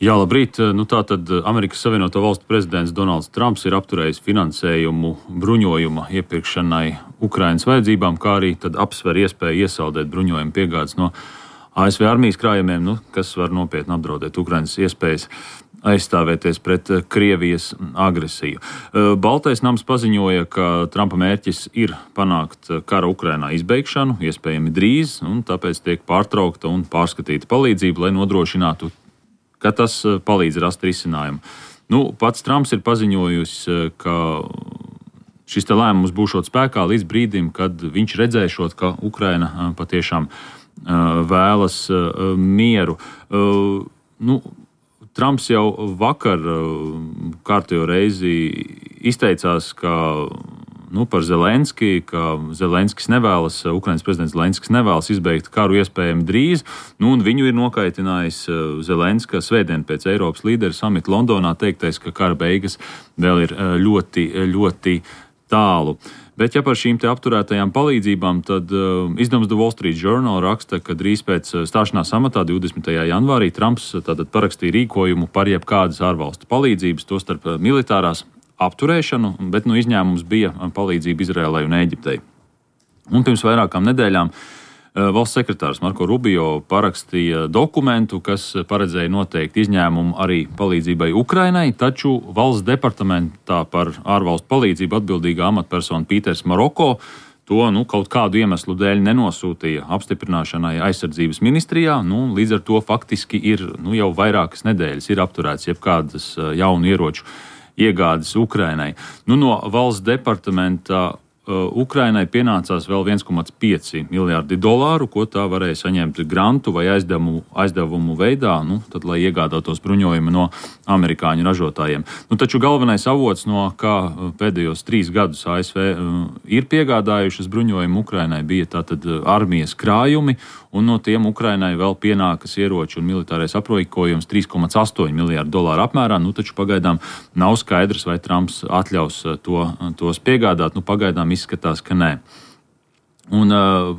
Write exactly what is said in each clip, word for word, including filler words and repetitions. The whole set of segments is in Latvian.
Jā, labrīt. Nu, tātad Amerikas Savienoto Valstu prezidents Donalds Trumps ir apturējis finansējumu bruņojuma iepirkšanai Ukrainas vajadzībām, kā arī tad apsver iespēju iesaldēt bruņojuma piegādes no A S V armijas krājumiem, nu, kas var nopietni apdraudēt Ukrainas iespējas aizstāvēties pret Krievijas agresiju. Baltais nams paziņoja, ka Trumpa mērķis ir panākt kara Ukrainā izbeigšanu, iespējami drīz, un tāpēc tiek pārtraukta un pārskatīta palīdzība, lai nodrošinātu, ka tas palīdz rast risinājumu. Nu, pats Trumps ir paziņojis, ka šis te lēmums būšot spēkā līdz brīdim, kad viņš redzēšot, ka Ukraina patiešām vēlas mieru. Nu, Trumps jau vakar kārtējo reizi izteicās, ka nu, par Zelenski, ka Zelenskis nevēlas, Ukrainas prezidents Zelenskis nevēlas izbeigt karu iespējami drīz, nu, un viņu ir nokaitinājis Zelenska svētdien pēc Eiropas līderu samita Londonā teiktais, ka kara beigas vēl ir ļoti, ļoti tālu. Bet ja par šīm te apturētajām palīdzībām, tad uh, izdevums The Wall Street Journal raksta, ka drīz pēc stāšanās amatā divdesmitajā janvārī Trumps tātad parakstīja rīkojumu par jebkādas ārvalstu palīdzības, tostarp militārās apturēšanu, bet nu, izņēmums bija palīdzība Izrēlai un Ēģiptei. Un pirms vairākām nedēļām valsts sekretārs Marko Rubio parakstīja dokumentu, kas paredzēja noteikt izņēmumu arī palīdzībai Ukrainai, taču valsts departamentā par ārvalstu palīdzību atbildīgā amatpersona Pīters Maroko to nu, kaut kādu iemeslu dēļ nenosūtīja apstiprināšanai aizsardzības ministrijā. Nu, līdz ar to faktiski ir nu, jau vairākas nedēļas ir apturēts jebkādas jaunu ieroču iegādes Ukrainai. Nu, no valsts departamenta uh, Ukrainai pienācās vēl viens komats pieci miljārdi dolāru, ko tā varēja saņemt grantu vai aizdevumu, aizdevumu veidā, nu, tad, lai iegādātos bruņojumu no amerikāņu ražotājiem. Nu, taču galvenais avots, no kā pēdējos trīs gadus A S V uh, ir piegādājušas bruņojumu Ukrainai, bija tātad armijas krājumi, un no tiem Ukrainai vēl pienākas ieroči un militārais aprīkojums trīs komats astoņi miljārdi dolāru apmērā, nu taču pagaidām nav skaidrs, vai Trumps atļaus to, tos piegādāt, nu pagaidām izskatās, ka nē. Un uh,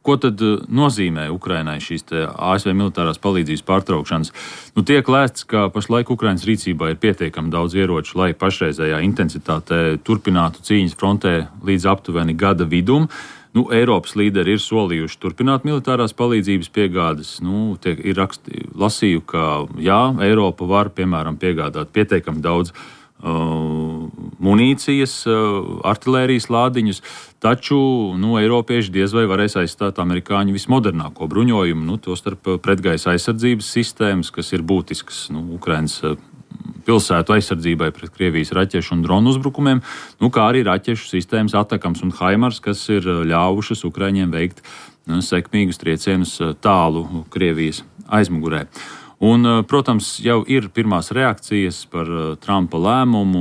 ko tad nozīmē Ukrainai šīs te A S V militārās palīdzības pārtraukšanas? Nu tiek lēsts, ka pašlaik Ukrainas rīcībā ir pietiekami daudz ieroču, lai pašreizējā intensitātē turpinātu cīņas frontē līdz aptuveni gada vidum. Nu, Eiropas līderi ir solījuši turpināt militārās palīdzības piegādes. Nu, tiek, ir raksti, lasīju, ka jā, Eiropa var, piemēram, piegādāt pietiekami daudz uh, munīcijas, uh, artilērijas lādiņus, taču nu, Eiropieši diez vai varēs aizstāt amerikāņu vismodernāko bruņojumu, nu, tostarp pretgaisa aizsardzības sistēmas, kas ir būtiskas nu, Ukrainas uh, pilsētu aizsardzībai pret Krievijas raķešu un dronu uzbrukumiem, nu, kā arī raķešu sistēmas Atakams un Haimars, kas ir ļāvušas Ukraiņiem veikt nu, sekmīgus triecienus tālu Krievijas aizmugurē. Un, protams, jau ir pirmās reakcijas par Trumpa lēmumu.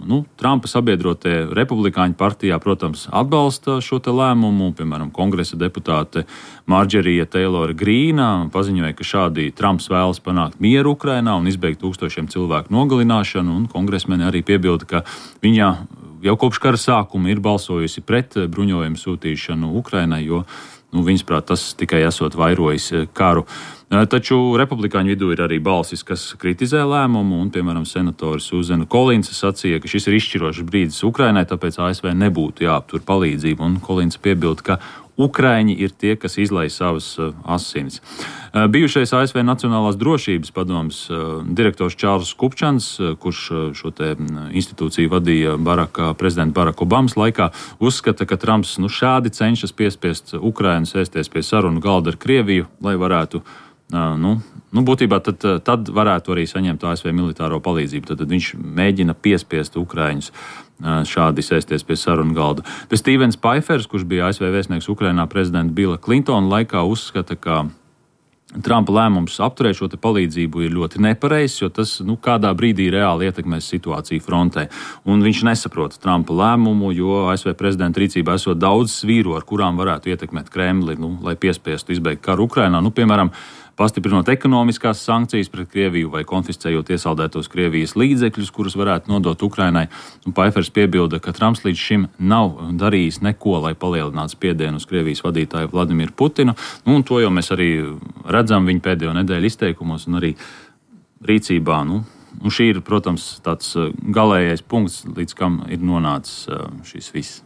Nu, Trumpa sabiedrotie republikāņu partijā, protams, atbalsta šo te lēmumu. Piemēram, kongresa deputāte Marģerija Teilora Grīna paziņoja, ka šādi Trumps vēlas panākt mieru Ukrainā un izbeigt tūkstošiem cilvēku nogalināšanu. Un kongresmeni arī piebilda, ka viņa jau kopš kara sākuma ir balsojusi pret bruņojumu sūtīšanu Ukrainai, jo nu, viņasprāt tas tikai esot vairojis karu. Taču republikāņu vidū ir arī balsis, kas kritizē lēmumu, un, piemēram, senatora Suzana Kolinsa sacīja, ka šis ir izšķirošs brīdis Ukrainai, tāpēc A S V nebūtu jāaptur palīdzību, un Kolinsa piebilda, ka Ukraiņi ir tie, kas izlai savas asinis. Bijušais A S V Nacionālās drošības padomes direktors Čārls Kupčans, kurš šo te institūciju vadīja Baraka, prezidenta Baraka Obamas laikā, uzskata, ka Trumps nu, šādi cenšas piespiest Ukrainu sēsties pie sarunu galda ar Krieviju, lai varētu Nu, nu, būtībā tad, tad varētu arī saņemt A S V militāro palīdzību. Tad, tad viņš mēģina piespiest Ukraiņus šādi sēsties pie sarunu galda. Bet Stevens Paifers, kurš bija A S V vēstnieks Ukrainā prezidenta Billa Clintona laikā, uzskata, ka Trumpa lēmums apturēt šo te palīdzību ir ļoti nepareizs, jo tas nu, kādā brīdī reāli ietekmēs situāciju frontē. Un viņš nesaprot Trumpa lēmumu, jo A S V prezidenta rīcībā esot daudz svīru, ar kurām varētu ietekmēt Kremli, nu, lai piespiestu izbeigt karu Ukrainā. Nu, piemēram, pastiprinot ekonomiskās sankcijas pret Krieviju vai konfiscējot iesaldētos Krievijas līdzekļus, kurus varētu nodot Ukrainai. Un Paifers piebilda, ka Trumps līdz šim nav darījis neko, lai palielinātu spiedienu uz Krievijas vadītāju Vladimiru Putinu. Nu, un to jau mēs arī redzam viņa pēdējo nedēļu izteikumos un arī rīcībā. Nu, nu šī ir, protams, tāds galējais punkts, līdz kam ir nonācis šis viss.